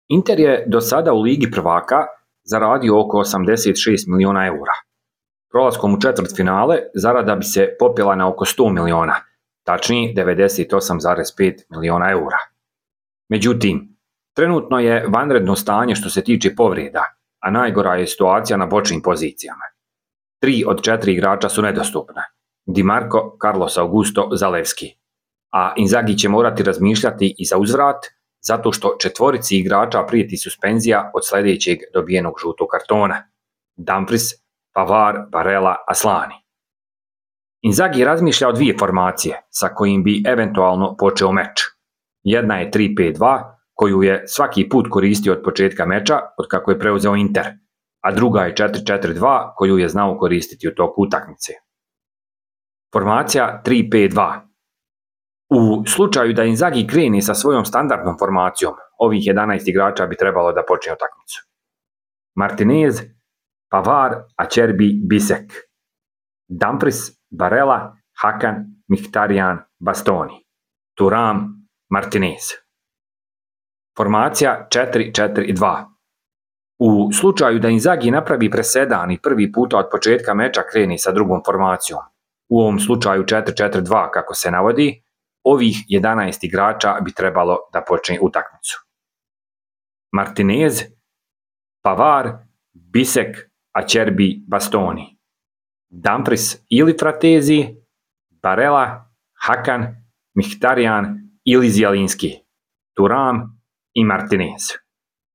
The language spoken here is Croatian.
Inter je do sada u Ligi prvaka zaradio oko 86 miliona eura. Prolaskom u četvrtfinale zarada bi se popela na oko 100 miliona, tačnije 98,5 miliona eura. Međutim, trenutno je vanredno stanje što se tiče povreda, a najgora je situacija na bočnim pozicijama. 3 od 4 igrača su nedostupne: Di Marco, Carlos Augusto, Zalewski. A Inzaghi će morati razmišljati i za uzvrat, zato što 4 igrača prijeti suspenzija od sljedećeg dobijenog žutog kartona: Dumfries, Pavard, Barella, Aslani. Inzaghi razmišlja o 2 formacije sa kojim bi eventualno počeo meč. Jedna je 3-5-2, koju je svaki put koristio od početka meča, od kako je preuzeo Inter, a druga je 4-4-2, koju je znao koristiti u toku utakmice. Formacija 3-5-2. U slučaju da Inzaghi krene sa svojom standardnom formacijom, ovih 11 igrača bi trebalo da počne utakmicu: Martinez, Pavard, Acerbi, Bisek, Dumfries, Barella, Hakan, Mkhitaryan, Bastoni, Thuram, Martinez. Formacija 4-4-2. U slučaju da Inzaghi napravi presedan i prvi puta od početka meča kreni sa drugom formacijom, u ovom slučaju 4-4-2 kako se navodi, ovih 11 igrača bi trebalo da počne utakmicu: Martinez, Pavard, Bisek, Acerbi, Bastoni, Dumfries ili Fratesi, Barella, Hakan, Mkhitaryan ili Zielinski, Thuram i Martinez.